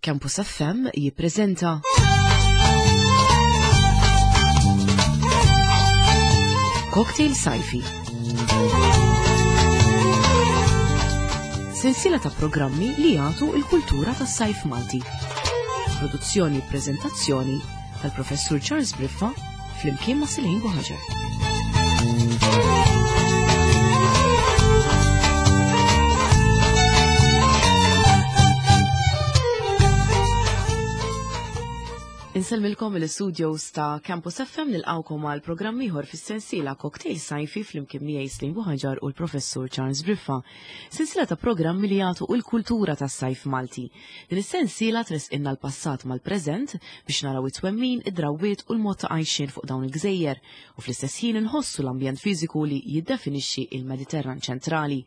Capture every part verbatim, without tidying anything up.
Campus F M jippreżenta Cocktail Sajfi. Sensiela ta' programmi li jagħtu l-kultura tas-sajf Malti. Produzzjoni u preżentazzjoni tal-Professur Charles Briffa flimkien ma' Silejn Buħaġar. Insellmilkom il-studios ta' Campus F M nilqawkom għal programm ieħor fis-sensiela Cocktail Sajfi flimkien miegħi Silejn Buħaġar u l-Professur Charles Briffa. Sensiela ta' programmi li jagħtu l-kultura tas-sajf Malti. Din is-sensiela tresqilna l-passat mal-preżent biex naraw it-twemmin, id-drawwiet u l-mod ta' għajxien fuq dawn il-gżejjer u fl-istess ħin inħossu l-ambjent fiżiku li jiddefinixxi il-Mediterran ċentrali.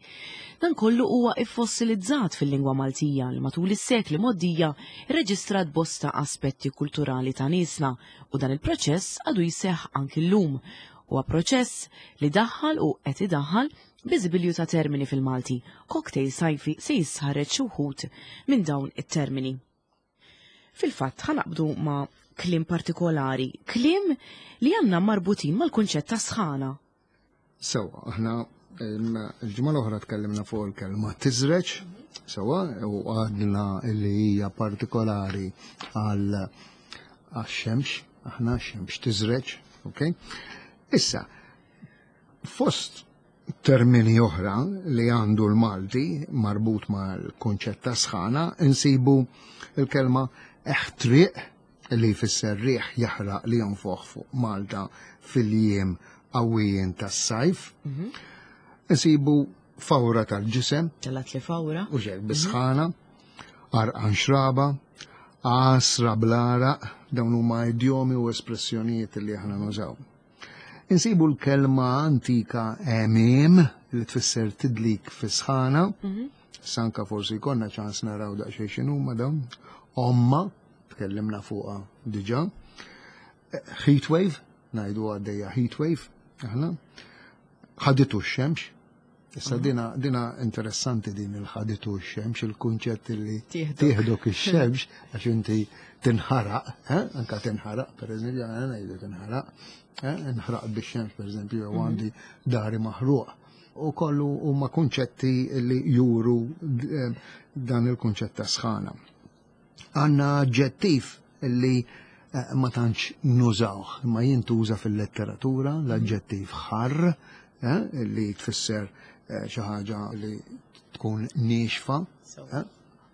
Dan kollu huwa iffossilizzat fil-lingwa Maltija li matul is-sekli mgħoddija rreġistrat bosta aspetti kulturali ta' niesna u dan il-proċess għadu jseħħ anki llum. Huwa proċess li daħħal u qed idaħħal biżibilju ta' termini fil-Malti. Cocktail Sajfi se jisħareġ xi wħud minn dawn it-termini. Fil-fatt ħanaqbdu ma' kliem partikolari, kliem li għandna marbutin mal-kunċett ta' sħana. Sewa, aħna il-ġimgħa l-oħra tkellimna fuq il-kelma tiżreġ, sewa, u għadna li hija partikolari għal għax-xemx, aħna x-xemx tiżreġ, ok? Issa, fost termini oħra li għandu l-Malti marbut mal-kunċett ta' sħana, insibu il-kelma eħtriq li jfisser riħ jaħraq li jonfoħ fuq Malta fil-jiem qawwijin tas-sajf. Mhm. Insibu fawra tal-ġisem. Telat li fawra. U ġek bisħana, arqan xraba, għasra bl-għaraq, dawn huma idjomi u espressjonijiet li aħna nużaw. Insibu l-kelma antika emim li tfisser tidlik fisħana. Mhm. Sanka forsi jkollna ċans naraw daqsxejn x'inhuma dawn. Omma, tkellimna fuqha diġà. Heat wave, ngħidu għaddejja heat wave, aħna. Ħaditu x-xemx. Issa Mhm. dina, dina interessanti din il-ħaditu x-xemx, il-kunċett li Tieħdok. tieħdok ix-xemx għax inti tinħaraq, eh? Anka tinħaraq, per eżempju, għana ngħidu tinħaraq, eh? Inħraq bix-xemx, per eżempju, jew Mhm. għandi dari maħruq. U kollu huma kunċetti li juru, eh, dan il-kunċett ta' sħana. Għandna aġġettiv li, eh, ma tantx nużawh, imma jintuża fil-letteratura, l-aġġettiv ħarr, eh, li tfisser, eh, xi ħaġa li tkun niexfa, So. eh?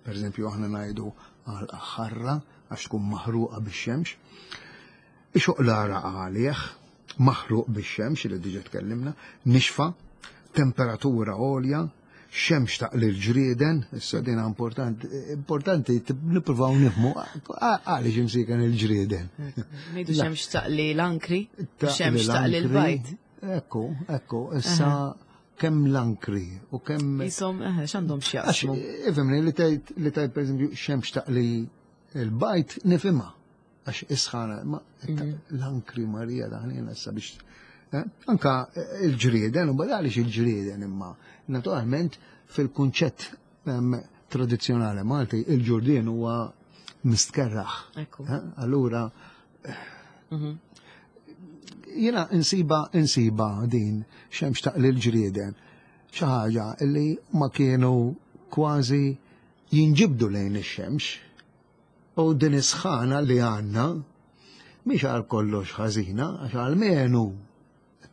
Per eżempju, aħna ngħidu għal ħarra għax tkun maħruqa bix-xemx. Ixoqlara għalih, maħruq bix-xemx li diġà tkellimna, nixfa, temperatura għolja, xemx taqli l-ġrieden, issa dina importanti, importanti nippruvaw nifhmu għaliex imsiken il-ġrieden. Ngħidu xemx taqli l-ankri, Taqli xemx taqli l-ankri. l-bajd. Ekku, ekku, issa Aha. kemm l-ankri u kemm Isom, eħe, x'għandhom x'jaqsmu? Għax, ifhimni, li tgħid, li tgħid pereżempju xemx taqli l-bajt nifhimha għax isħana, ma Mhm. l-ankri Marija daħnina issa biex, eh, anka il-ġrieden, u bada għaliex il-ġrieden imma naturalment fil-kunċett, ehm, tradizzjonali Malti il-ġurdien huwa mistkerraħ. Ekku. Eh, allura, Mhm. jiena insiba, insiba din xemx taqli l-ġrieden xi ħaġa li ma kienu kważi jinġibdu lejn ix-xemx u din is-sħana li għandna mhix għal kollox ħażina għax għalmenu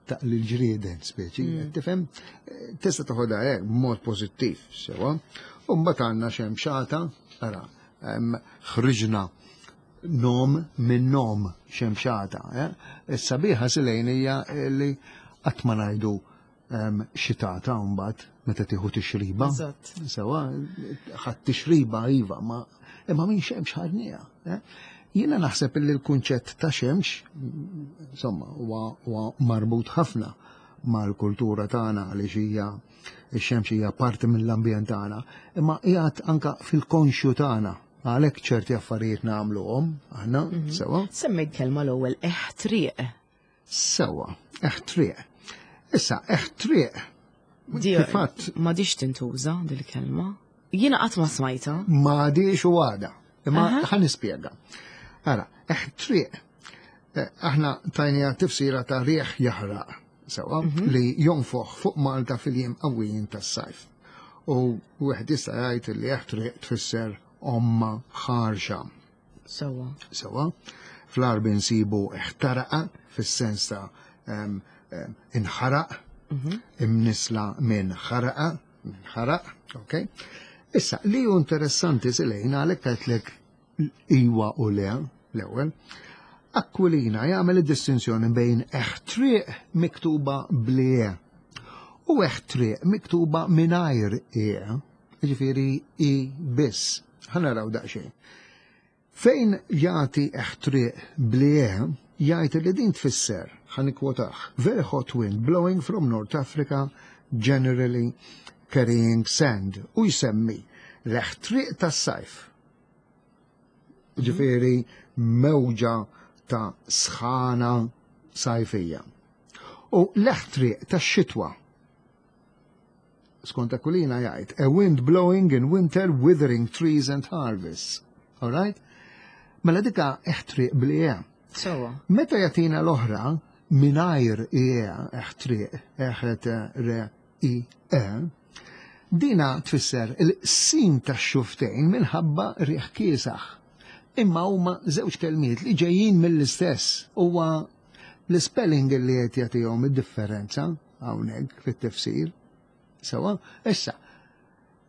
taqli l-ġrieden speċi, Mm. tifhem? Tista' toħodha hekk b'mod pożittiv sewa. U mbagħad għandna xemxata, ara, em, ħriġna nom minn nom xemxata, eh? Is-sabiħa Silejn hija li qatt ma ngħidu, em, xitata mbagħad meta tieħu tixriba. Eżatt. Sewa, ħadd tixriba iva, ma imma minn xemx ħadniha, eh? Jiena naħseb li l-kunċett ta' xemx, insomma, huwa, huwa marbut ħafna mal-kultura tagħna għaliex hija ix-xemx hija parti mill-ambjent tagħna, imma qiegħed anka fil-konxju tagħna. Għalhekk ċerti affarijiet nagħmluhom aħna, Mhm. sewa. Semmejt kelma l-ewwel eħtriq. Sewa, eħtriq. Issa, eħtriq. Di- Kif Ma diċ tintuża dil-kelma. Jiena qatt ma smajta. Ma diċ u għada. Imma ħa nispjega. Ara, eħtriq, eh, aħna tajnija tifsira ta' rieħ jaħraq, sewa, mhm. li jonfoħ fuq Malta fil-jiem qawwijin tas-sajf. U wieħed jista' jgħid li eħtriq tfisser omma ħarxa. Sewa. Sewa. Fl-Għarbi nsibu eħtaraqa fis-sens ta' inħaraq, mhm. imnisla minn ħaraqa, minn ħaraq, ok? Issa, li hu interessanti silejna għalhekk għedtlek iwa u le, l-ewwel, Aquilina jagħmel id-distinzjoni bejn eħtriq miktuba bl-e u eħtriq miktuba mingħajr e, ġifieri i biss. Ħa naraw daqsxejn. Fejn jagħti eħtriq bl-e, jgħid li din tfisser, ħa nikkwotaħ, very hot wind blowing from North Africa, generally carrying sand, u jsemmi l-eħtriq tas-sajf. Ġifieri mewġa ta' sħana sajfija. U l-eħtriq tax-xitwa. Skont Aquilina jgħid, a wind blowing in winter withering trees and harvests. All right? Mela dika eħtriq bl-e. Sewa. Meta jagħtina l-oħra mingħajr e eħtriq, eħet re i e, dina tfisser il-sin ta' xuftejn minħabba riħ kiesaħ. Imma huma żewġ kelmiet li ġejjin mill-istess huwa l-spelling li qed jagħtihom id-differenza hawnhekk fit-tifsir. Sewa, issa,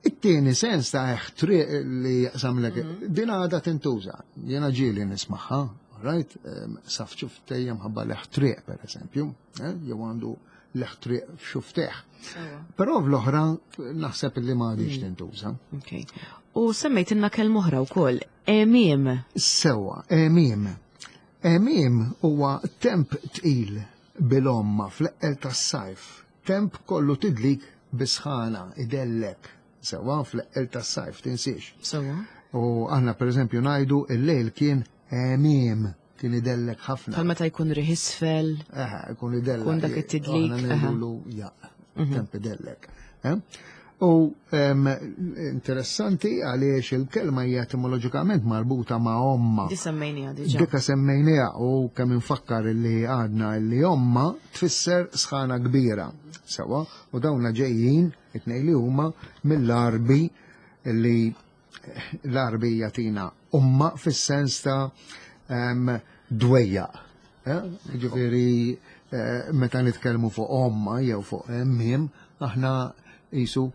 it-tieni sens ta' eħtriq li jaqsamlek, mhm. din għadha tintuża. Jiena ġieli nismagħha, right? Saf xuftejja mħabba l-eħtriq, per eżempju, eh, jew għandu l-eħtriq f'xuftejh. Però fl-oħra naħseb li ma għadix mm. tintuża. Okay. U semmejt inna kelma oħra wkoll, emiem. Sewa, emiem. Emiem huwa temp tqil bil-omma fl-eqqel tas-sajf. Temp kollu tidlik bisħana, idellek. Sewa fl-eqqel tas-sajf, tinsiex. Sewa. U aħna per eżempju ngħidu il-lejl kien emiem, kien idellek ħafna. Bħal meta jkun riħ isfel. Eħe, jkun idellek. Kun dak it-tidlik. Aħna ngħidulu jaq, mhm. temp idellek. Eh? U interessanti għaliex il-kelma hija etimoloġikament marbuta ma' omma. Di semmejnija diġà. Dika semmejnija u kemm infakkar li għadna li omma tfisser sħana kbira. Sewa, u dawna ġejjin it-tnejn li huma mill-Għarbi li l-Għarbi jagħtina umma fis-sens ta' dwejjaq. Eh? Ġifieri eh, meta nitkellmu fuq omma jew fuq miem, aħna jisu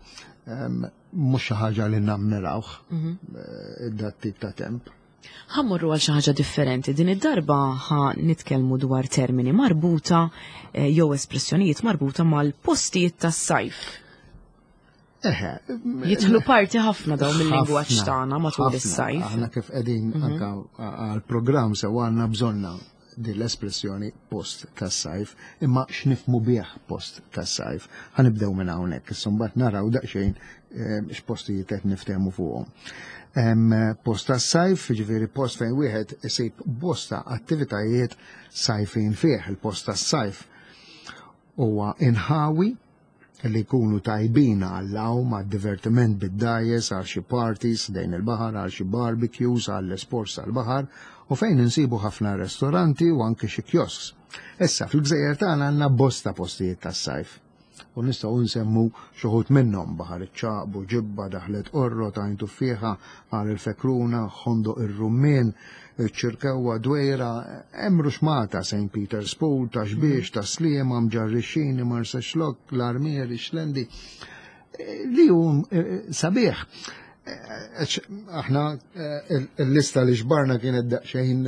mhux xi ħaġa li nammirawh mhm. eh, dat tip ta' temp. Ħa mmorru għal xi ħaġa differenti. Din id-darba ħa nitkellmu dwar termini marbuta eh, jew espressjonijiet marbuta mal-postijiet tas-sajf. Eħe. Jidħlu parti ħafna dawn mill-lingwaġġ tagħna matul is-sajf. Aħna kif qegħdin mhm. anka għall-programm sew għandna bżonna din l-espressjoni post tas-sajf, imma x'nifmu bih post tas-sajf. Ħa nibdew minn hawnhekk, issa mbagħad naraw daqsxejn eh, x'postijiet qed niftehmu fuqhom. Post tas-sajf, ġifieri post fejn wieħed isib bosta attivitajiet sajfin fih. Il-post tas-sajf huwa inħawi li jkunu tajbin għall-għawm, għad-divertiment bid-dgħajjes, għal xi parties dejn il-baħar, għal xi barbecues, għall sports tal-baħar, u fejn insibu ħafna ristoranti u anke xi kiosks. Issa, fil-gżejjer tagħna għandna bosta postijiet tas-sajf. U nistgħu nsemmu xi wħud minnhom Baħar iċ-Ċagħaq, Buġibba, Daħlet Qorrot, Għajn Tuffieħa, Għar il-Fekruna, Ħondoq ir-Rummien, Ċirkewwa, Dwejra, hemm Ruxmata, Saint Peter's Pool, Ta' Xbiex, Ta' Sliema, Mġarrixxini, Marsaxlokk, l-Armier, ix-Xlendi. Li hu eh, sabiħ. Eh, aħna eh, il-lista li xbarna kienet daqsxejn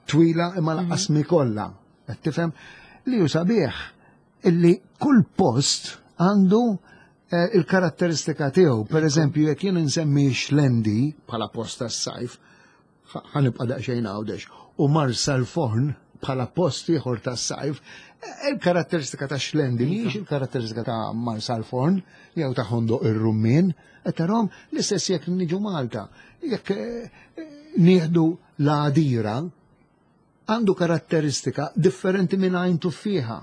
twila imma lanqas mi kollha. Qed tifhem li hu sabiħ illi kull post għandu il-karatteristika tiegħu. Per eżempju, jekk jien nsemmi Xlendi bħala post tas-sajf, ħa nibqa' daqsxejn Għawdex, u Marsalforn bħala post ieħor tas-sajf, il-karatteristika ta' Xlendi mhijiex il-karatteristika ta' Marsalforn jew ta' Ħondoq ir-Rummien, qed tarahom l-istess jekk niġu Malta. Jekk eh, nieħdu l-Għadira, għandu karatteristika differenti minn Għajn Tuffieħa.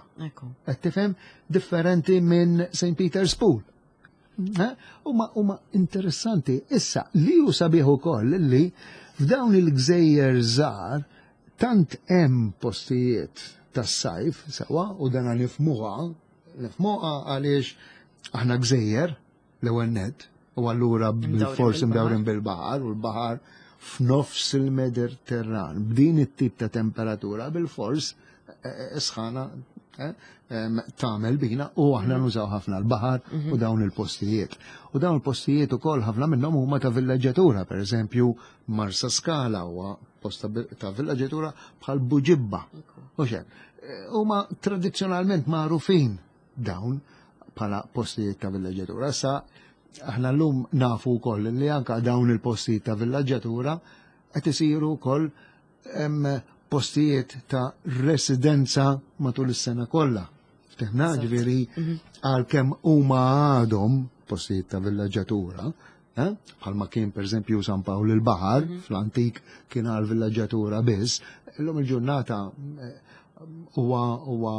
Qed tifhem? Differenti minn Saint Peter's Pool. Eh? Huma huma interessanti. Issa, li hu sabiħ ukoll li f'dawn il-gżejjer żgħar tant hemm postijiet tas-sajf sewwa, u dana nifhmuha, nifhmuha għaliex aħna gżejjer l-ewwel net, u allura bil-fors imdawrin bil-baħar, u l-baħar f'nofs il-Mediterran, b'din it-tip ta' temperatura, bil-fors eh, sħana eh, em, tagħmel bina u aħna nużaw ħafna l-baħar u dawn il-postijiet. U dawn il-postijiet ukoll ħafna minnhom huma ta' villaġġatura, per eżempju Marsa Skala huwa post ta' vi- ta' villaġġatura bħal Buġibba. U xek, eh, huma tradizzjonalment magħrufin dawn bħala postijiet ta' villaġġatura. Issa aħna llum nafu wkoll li anka dawn il-postijiet ta' villaġġatura qed isiru wkoll em, postijiet ta' residenza matul is-sena kollha. Ftehna, Eżatt. ġifieri għalkemm huma għadhom postijiet ta' villaġġatura, eh? Bħalma kien per eżempju San Pawl il-Baħar, fl-antik kien għal villaġġatura biss, illum il-ġurnata eh, huwa huwa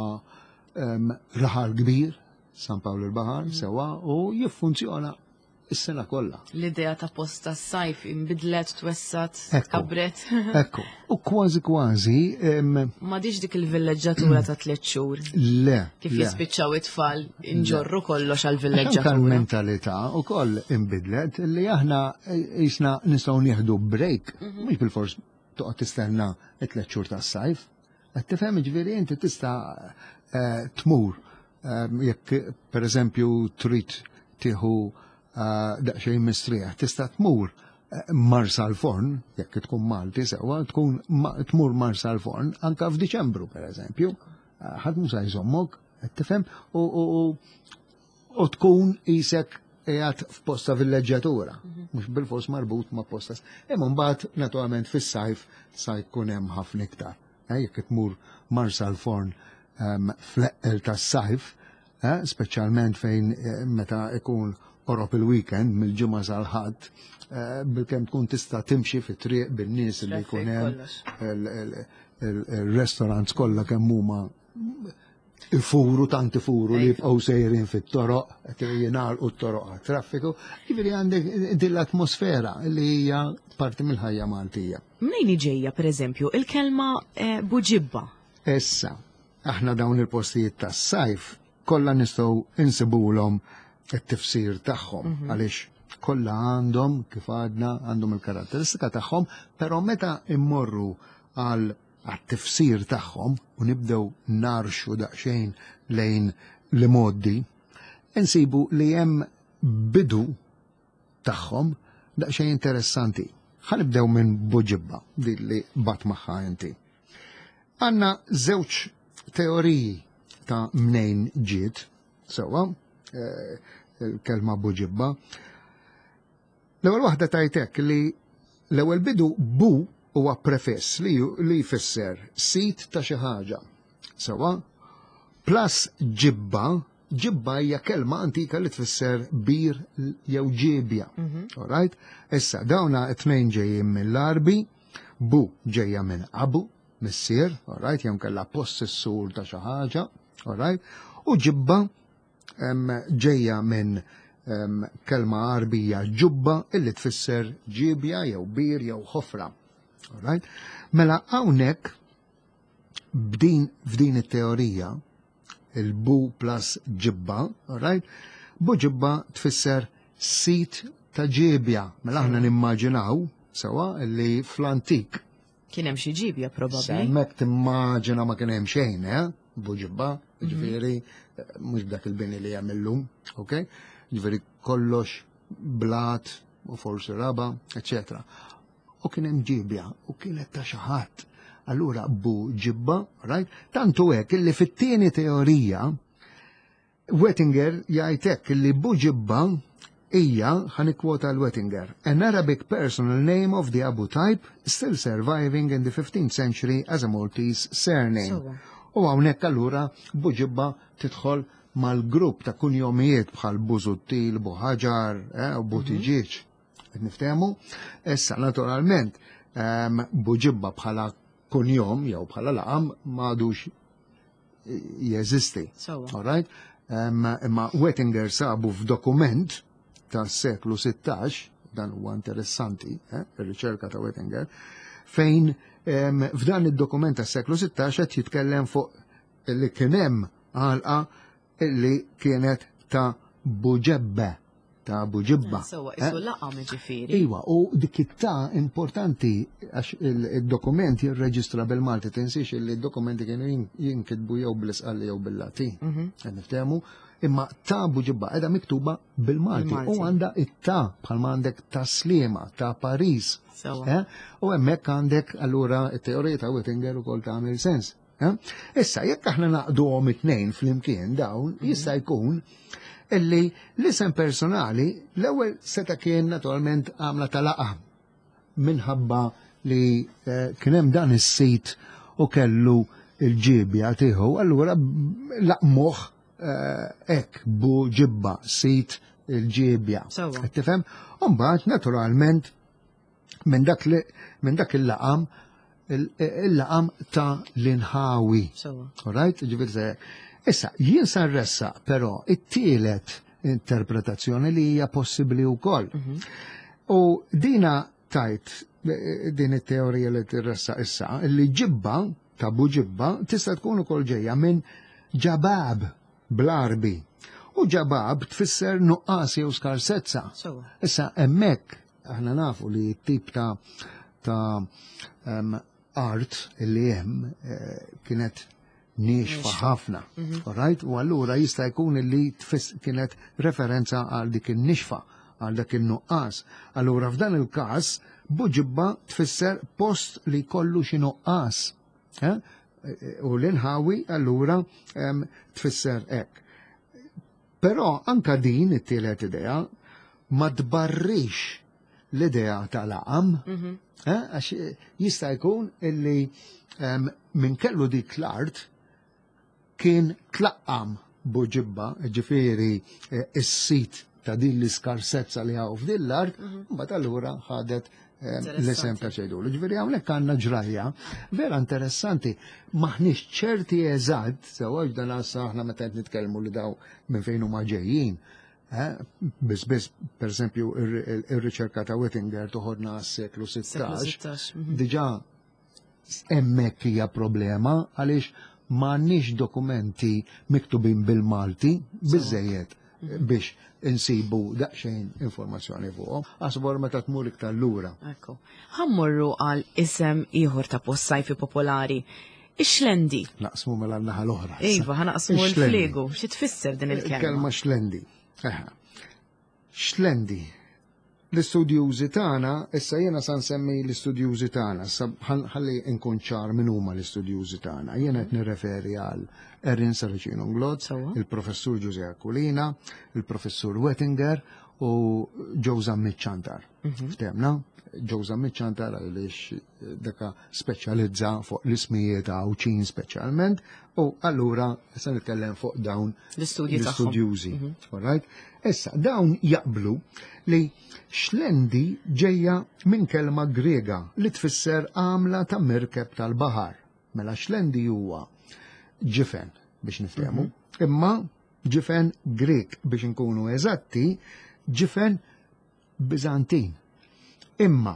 em, raħal kbir, San Pawl il-Baħar, sewwa, u jiffunzjona is-sena kollha. L-idea ta' post tas-sajf inbidlet, twessat, Ekku. kabret. Ekku, u kważi kważi, em, M'għadix dik il-villeġġatura ta' tliet xhur. Le. Kif le. jispiċċaw it-tfal inġorru kollox għal Anka villeġġatura. l-mentalità u koll imbidlet li aħna jisna nistgħu nieħdu break, mhux bil-fors toqgħod tistenna it-tliet xhur tas-sajf. Qed tifhem, ġifieri inti tista' eh, tmur eh, jekk pereżempju trid tieħu eh, daqsxejn mistrieħ, tista' tmur eh, Marsa l-Forn, jekk tkun Malti sewwa, tkun ma- tmur Marsa l-Forn anka f'Diċembru pereżempju. Eh, Ħadd mhux se jżommok, qed tifhem, u u- u u tkun isek qiegħed f'posta villeġġjatura, mhux bil-fors marbut ma' posta. Imma mbagħad naturalment fis-sajf sa jkun hemm ħafna iktar. Eh, Jekk tmur Marsa l-Forn em, fl-eqqel tas-sajf, eh, speċjalment fejn eh, meta ikun qorob il-weekend mill-Ġimgħa sal-Ħadd, eh, bilkemm tkun tista' timxi fit-triq bin-nies li Traffic, jkun hemm kollox. il- il- il- il-restaurants kollha kemm huma ifuru, tant ifuru li jibqgħu sejrin fit-toroq, qed jingħalqu t-toroq għat-traffiku, jiġifieri għandek din l-atmosfera li hija parti mill-ħajja Maltija. Mnejn ġejja, per eżempju, il-kelma eh, buġibba? Issa, aħna dawn il-postijiet tas-sajf kollha nistgħu insibulhom it-tifsir tagħhom għaliex kollha għandhom, kif għadna, għandhom il-karatteristika tagħhom, però meta immorru għal għat-tifsir tagħhom u nibdew narxu daqsxejn lejn l-imgħoddi, insibu li hemm bidu tagħhom daqsxejn interessanti. Ħa nibdew minn Buġibba, din li bat magħha inti. Għanna żewġ teoriji ta' mnejn ġiet, sewwa, eh, il-kelma Buġibba. L-ewwel waħda tajtek li l-ewwel bidu bu huwa prefiss li, li jfisser sit ta' xi ħaġa. Sewwa, plus ġibba, ġibba hija kelma antika li tfisser bir jew ġibja. All right? Issa, dawna t-tnejn ġejjin mill-Arbi, bu ġejja minn abu, missier, all right, jew kella possessur ta' xi ħaġa, all right? U ġibba em, ġejja minn em, kelma Arbija ġubba illi tfisser ġibja jew bir jew ħofra. All right? Mela hawnhekk b'din f'din it-teorija il-bu plus ġibba, all right? Bu ġibba tfisser sit ta' ġibja. Mela aħna nimmaġinaw sewwa li fl-antik Kien hemm xi ġibja probabbli. Hemmhekk timmaġina ma kien hemm xejn, eh? Buġibba, ġifieri, mhux b'dak il-bini li hemm illum, ok? Ġifieri kollox blat u forsi raba, eccetera. U kien hemm ġibja u kienet ta' xi ħadd. Allura bu ġibba, right? Tantu hekk illi fit-tieni teorija Wettinger jgħidlek illi Buġibba hija, ħa nikkwota l-Wettinger, "an Arabic personal name of the Abu type still surviving in the fifteenth century as a Maltese surname." Sewwa. U hawnhekk allura Buġibba tidħol mal-grupp ta' kunjomijiet bħal Busuttil, Buħaġar, eh, u Buttigieg. Qed niftehmu? Issa naturalment em, Buġibba bħala kunjom jew bħala laqam m'għadux jeżisti. Sewwa. All right? Um, imma Wettinger sabu f'dokument tas-seklu sittax, dan huwa interessanti, eh, ir-riċerka ta' Wettinger, fejn f'dan id-dokument tas-seklu sittax qed jitkellem fuq li kien hemm għalqa li kienet ta' Buġebbe, ta' Buġibba. Sewa, isu laqam ġifieri. Iva, u dik it-ta' importanti għax il-dokument jirreġistra bil-Malti, tinsiex li d-dokumenti kienu jinkitbu jew bl-Isqalli jew bil-Latin. Qed niftehmu, imma ta' Buġibba qiegħda miktuba bil-Malti u għandha it-ta' bħalma għandek ta' Sliema, ta' Paris. U hemmhekk għandek allura it-teorija ta' Wettinger ukoll tagħmel sens. Issa, jekk aħna naqduhom it-tnejn flimkien dawn, jista' jkun illi l-isem personali l-ewwel seta' kien naturalment għamla tal-laqa minħabba li kien hemm dan is-sit u kellu il-ġibja tiegħu, allura laqmuh hekk Buġibba, sit il-ġibja. Tifhem? U mbagħad naturalment minn dak minn dak il-laqam il-laqam ta' l-inħawi. All right? Ġifieri issa, jien sa nressaq però it-tielet interpretazzjoni li hija possibbli wkoll. U dina tajt din it-teorija li tirressaq issa, li ġibba, ta' Buġibba, tista' tkun ukoll ġejja minn ġabab bl-Arbi. U ġabab tfisser nuqqas jew skarsezza. Issa hemmhekk aħna nafu li t-tip ta' ta' art li hemm kienet niexfa ħafna, right? U allura jista' jkun li kienet referenza għal dik in-nixfa, għal dak in-nuqqas. Allura f'dan il-każ Buġibba tfisser post li kollu xi nuqqas. U l-inħawi allura tfisser hekk. Però anka din it-tielet idea ma tbarrix l-idea tal-laqam, għax jista' jkun illi minn kellu dik l-art kien tlaqqam Buġibba, ġifieri is-sit ta' din l-iskarsezza li hawn f'din l-art, mbagħad allura ħadet l-isem ta' ċejdulu. Ġifieri hawnhekk għandna ġrajja vera interessanti, maħniex ċerti eżatt, sewwa dan issa aħna meta qed nitkellmu li daw minn fejn huma ġejjin. Biss biss, per eżempju, ir-riċerka ta' Wettinger toħodna għas-seklu sittax, diġà hemmhekk hija problema għaliex m'għandniex dokumenti miktubin bil-Malti biżejjed biex insibu daqsxejn informazzjoni fuqhom. Asbor meta tmur iktar lura. Ekku. Ħammorru għal isem ieħor ta' post sajfi popolari. Ix-xlendi. Naqsmu mela n-naħa l-oħra. Iva, ħanaqsmu l-fliegu. Xi tfisser din il-kelma? Il-kelma xlendi. Xlendi. L-istudjużi tagħna, issa jiena sa nsemmi l-istudjużi tagħna, ħalli nkun ċar min huma l-istudjużi tagħna. Jiena qed nirreferi għal Erin Saracino Glod, il-professur Ġużè Aquilina, il-professur Wettinger u Joe Zammit Ciantar. Ftemna, Joe Zammit Ciantar għaliex daka speċjalizza fuq l-ismijiet Għawdxin speċjalment, u allura se nitkellem fuq dawn l-istudjużi. All right? Issa, dawn jaqblu li xlendi ġejja minn kelma Grega li tfisser għamla ta' mirkeb tal-baħar. Mela xlendi huwa ġifen biex niftehmu, imma ġifen Grek biex nkunu eżatti, ġifen Biżantin. Imma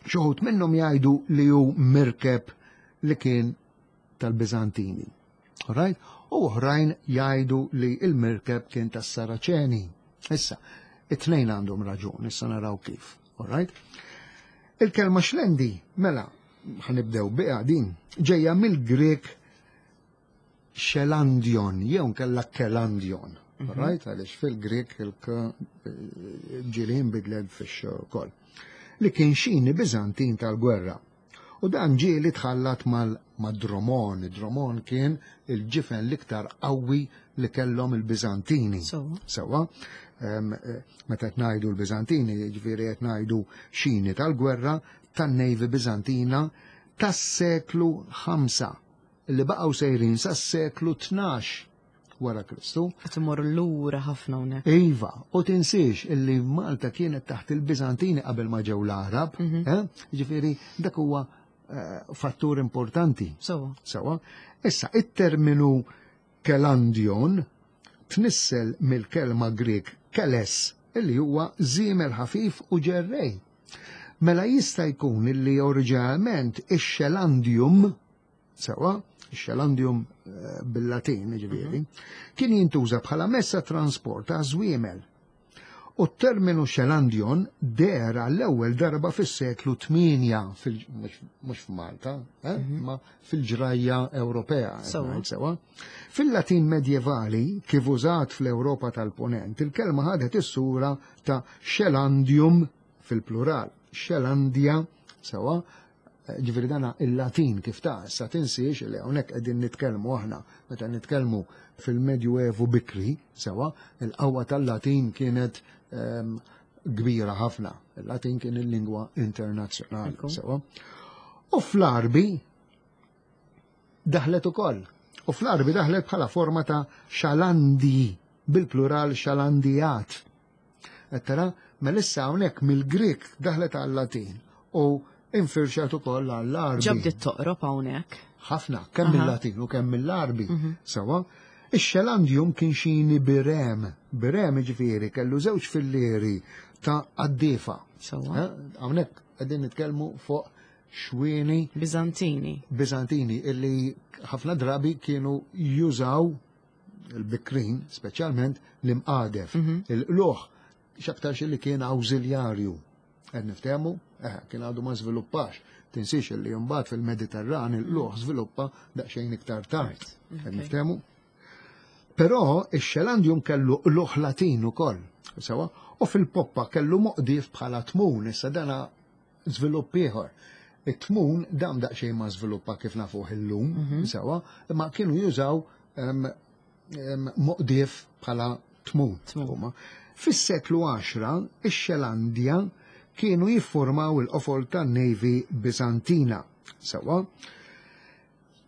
xi wħud minnhom jgħidu li hu mirkeb li kien tal-Biżantini. All right? U oħrajn jgħidu li il-mirkeb kien tas-Saraċeni. Issa, it-tnejn għandhom raġun, issa naraw kif. All right? Il-kelma xlendi, mela, ħanibdew biha din, ġejja mill-Grek xelandion, jew nkella kelandion. All right? Għaliex fil-Grek il-k ġieli nbidlet fix-xokol. Li kien xini Biżantin tal-gwerra. U dan ġieli tħallat mal-dromon. Dromon kien il-ġifen l-iktar qawwi li kellhom il-Biżantini. Sewa, meta qed ngħidu l-Biżantini, jiġifieri qed ngħidu xini tal-gwerra tan-Navy Biżantina tas-seklu ħamsa li baqgħu sejrin sas-seklu tnax wara Kristu. Qed imorru lura ħafna hawnhekk. Iva, u tinsiex illi Malta kienet taħt il-Biżantini qabel ma ġew l-Arab, ġifieri dak huwa fattur importanti. Sewa. Sewa. Issa, it-terminu kelandion tnissel mill-kelma Grek keles illi huwa żiemel ħafif u ġerrej. Mela jista' jkun illi oriġinalment ix-xelandium, sewa, ix-xelandium eh, bil-Latin, ġifieri, kien jintuża bħala mezz ta' trasport ta' żwiemel. U t-terminu xelandion deher l-ewwel darba fis-seklu tmienja, mhux f'Malta, eh, ma fil-ġrajja Ewropea. Sewa. Sewa. Fil-Latin medjevali, kif użat fl-Ewropa tal-Ponent, il-kelma ħadet is-sura ta' xelandium fil-plural. Xelandia, sewa, ġifieri dana il-Latin kif ta' issa tinsiex li hawnhekk qegħdin nitkellmu aħna meta nitkellmu fil-Medjuevu bikri, sewa, il-qawwa tal-Latin kienet ehm, kbira ħafna. Il-Latin kien il-lingwa internazzjonali, Ekku. sewa. U fl-Arbi daħlet ukoll. U fl-Arbi daħlet bħala forma ta' xalandi, bil-plural xalandijat. Ettara, mela issa hawnhekk mill-Grik daħlet għal-Latin u infirxat ukoll għall-Arbi. Ġabdiet toqrob hawnhekk. Ħafna, kemm Aha. mill-Latin u kemm mill-Arbi. Sewa, ix-xelandium kien xini birem, birem ġifieri kellu żewġ fillieri ta' qaddiefa. Sewa. Eh, Hawnhekk qegħdin nitkellmu fuq xwieni Bizantini. Bizantini illi ħafna drabi kienu jużaw il-bikrin, speċjalment l-imqadef, il-qluħ, x'aktarx li kien awżiljarju. Qed niftehmu? Eh, kien għadu ma żviluppax. Tinsiex li mbagħad fil-Mediterran il-qluħ żviluppa daqsxejn iktar tard. Qed niftehmu? Però ix-xelandium kellu qluħ Latin ukoll, sewa, u fil-poppa kellu moqdif bħala tmun, issa dana żvilupp ieħor. It-tmun dam daqsxejn ma żviluppa kif nafuh illum, sewa, imma kienu jużaw em, em, moqdif bħala tmun. Tmun. huma. Fis-seklu għaxra, ix-Xelandja kienu jiffurmaw il-qofol tan-Navy Bizantina. Sewa,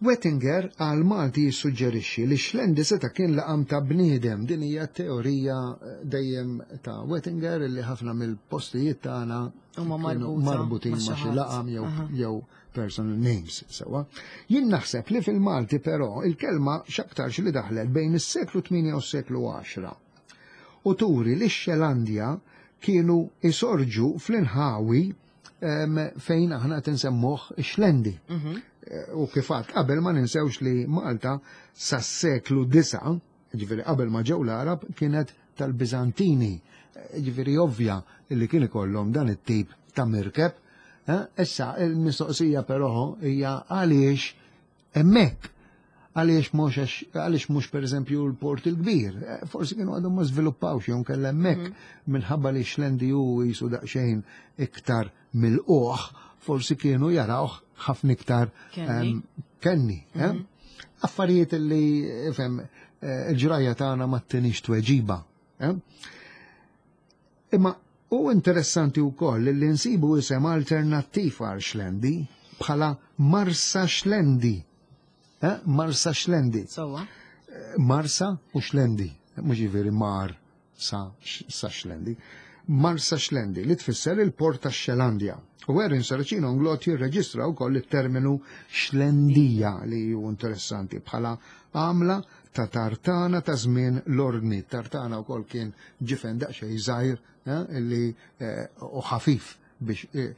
Wettinger għal Malti jissuġġerixxi li Xlendi seta' kien laqam ta' bniedem. Din hija teorija eh, dejjem ta' Wettinger illi ħafna mill-postijiet tagħna Huma kienu marbuta marbutin ma' ma' xi xi ħadd. laqam jew Aha. jew personal names sewa. Jien naħseb li fil-Malti però il-kelma x'aktarx li daħlet bejn is-seklu tmienja u s-seklu għaxra. U turi li x-Xelandja kienu isorġu fl-inħawi em, fejn aħna tinsemmuh Xlendi. Eh, U kifat, qabel ma ninsewx li Malta sas-seklu disa, ġifieri qabel ma ġew l-Arab, kienet tal-Bizantini. Eh, Ġifieri ovvja li kien ikollhom dan it-tip ta' mirkeb. Eh, Issa, il-mistoqsija però hija għaliex hemmhekk, għaliex mhux għax- għaliex mhux pereżempju l-port il-kbir. Eh, Forsi kienu għadhom ma żviluppawx jew kellha hemmhekk minħabba li Xlendi hu jisu daqsxejn iktar mill-qoħ, forsi kienu jarawh ħafna iktar Kenni. em, kenni. eh? Affarijiet li ifhem eh, il-ġrajja tagħna ma ttinix tweġiba. eh? Imma u interessanti wkoll li nsibu isem alternattiv għal Xlendi bħala Marsa Xlendi. Eh? Marsa Xlendi. Sewa. Marsa u Xlendi, mhux ġifieri mar sa, sa Xlendi. Marsa Xlendi li tfisser il-port ta' Xelandja. U Erin Saracino Inglott jirreġistra wkoll it-terminu Xlendija li hu interessanti bħala għamla ta' tartana ta' żmien l-ordni. Tartana wkoll kien ġifen daqsxejn żgħir eh, li eh, u ħafif biex eh,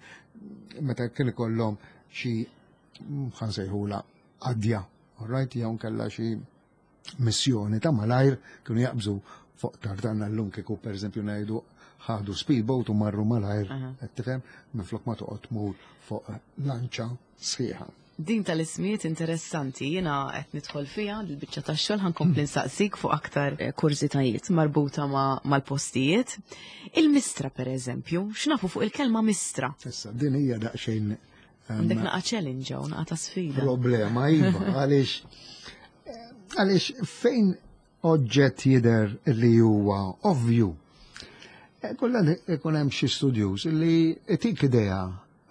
meta kien ikollhom xi ħansejħula għadja, all right, jew kellha xi missjoni ta' malajr kienu jaqbżu fuq tartana. Llum kieku pereżempju ngħidu ħadu speedboat u marru malajr, Aha. qed tifhem, minflok ma toqgħod tmur fuq lanċa sħiħa. Din tal-ismijiet interessanti, jiena qed nidħol fiha l-biċċa tax-xogħol, ħankompli nsaqsik fuq aktar eh, kurżitajiet marbuta ma' mal-postijiet. Il-mistra pereżempju, x'nafu fuq il-kelma mistra? Issa din hija daqsxejn em, Għandek naqa challenge u naqa ta' sfida. Problema, iva, għaliex għaliex fejn oġġett jidher li huwa ovvju, eh, kollha ikun hemm xi studjuż li itik idea.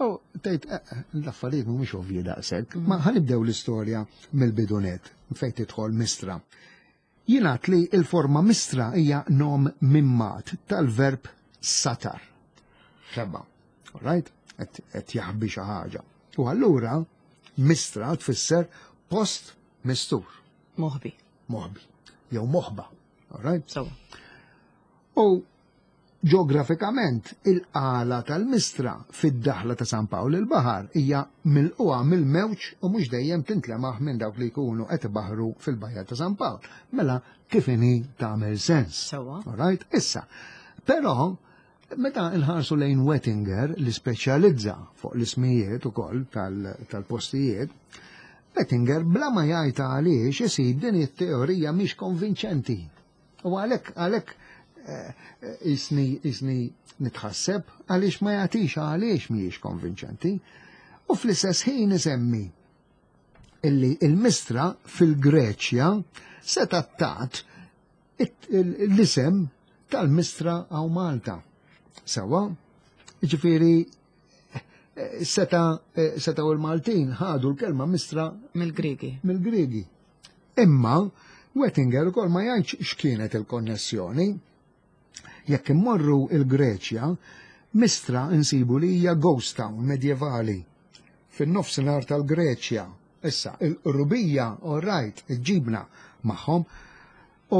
U tgħid eh, eh, l-affarijiet mhumiex ovvji daqshekk. Ma ħanibdew l-istorja mill-bidunet fejn tidħol mistra. Jingħad li il-forma mistra hija nom mimmat tal-verb satar. Xebba, all right? Qed jaħbi xi ħaġa. U allura mistra tfisser post mistur, Moħbi. moħbi, jew moħba. All right? Sewa. U Ġeografikament, il-qala tal-Mistra fid-daħla ta' San Pawl il-Baħar hija milquha mill-mewġ u mhux dejjem tintlemaħ minn dawk li jkunu qed ibaħru fil-bajja ta' San Pawl. Mela kif inhi tagħmel sens. Sewwa. Alright? Issa, però meta nħarsu lejn Wettinger li speċjalizza fuq l-ismijiet ukoll tal-postijiet, Wettinger bla ma jgħid għaliex isib din it-teorija mhix konvinċenti. U għalhekk għalhekk isni isni nitħasseb għaliex ma jagħtix għaliex mhijiex konvinċenti. U fl-istess ħin isemmi illi il-Mistra fil-Greċja seta tat l-isem tal-Mistra għaw Malta. Sawa, ġifieri seta seta u l-Maltin ħadu l-kelma Mistra mill-Griegi. Mill-Griegi. Imma Wettinger ukoll ma jgħidx x'kienet il-konnessjoni. Jekk immorru il-Greċja, Mistra insibu li hija ghost town medjevali fin-nofsinhar tal-Greċja. Issa, il-qrubija, all right, ġibna magħhom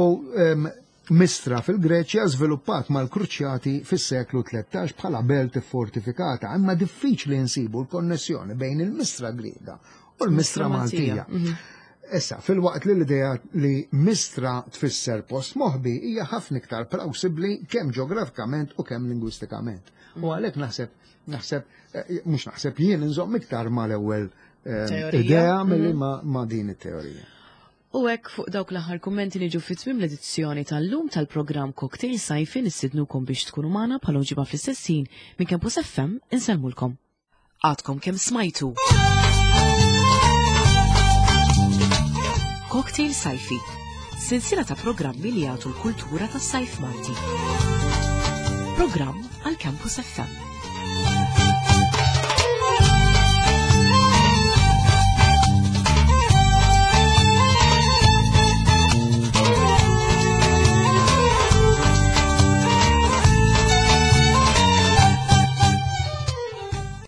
u um, Mistra fil-Greċja żviluppat mal-Kruċjati fis-seklu tlettax bħala belt fortifikata, imma diffiċli nsibu l-konnessjoni bejn il-Mistra Griega u l-Mistra Maltija. Issa, fil-waqt li l-idea li Mistra tfisser post moħbi hija ħafna iktar plawsibbli kemm ġeografikament u kemm lingwistikament. U għalhekk naħseb, naħseb, mhux naħseb jien inżomm iktar mal-ewwel idea milli ma' din it-teorija. U hekk fuq dawk l-aħħar kummenti niġu fi tmiem l-edizzjoni tal-lum tal-programm Cocktail Sajfi. Nistidnukom biex tkunu magħna bħal ġimgħa fl-istess ħin minn Campus F M insellmulkom. Għadkom kemm smajtu. Cocktail Sajfi, silsila ta' programmi li jagħtu l-kultura tas-sajf Malti. Programm għal Campus F M.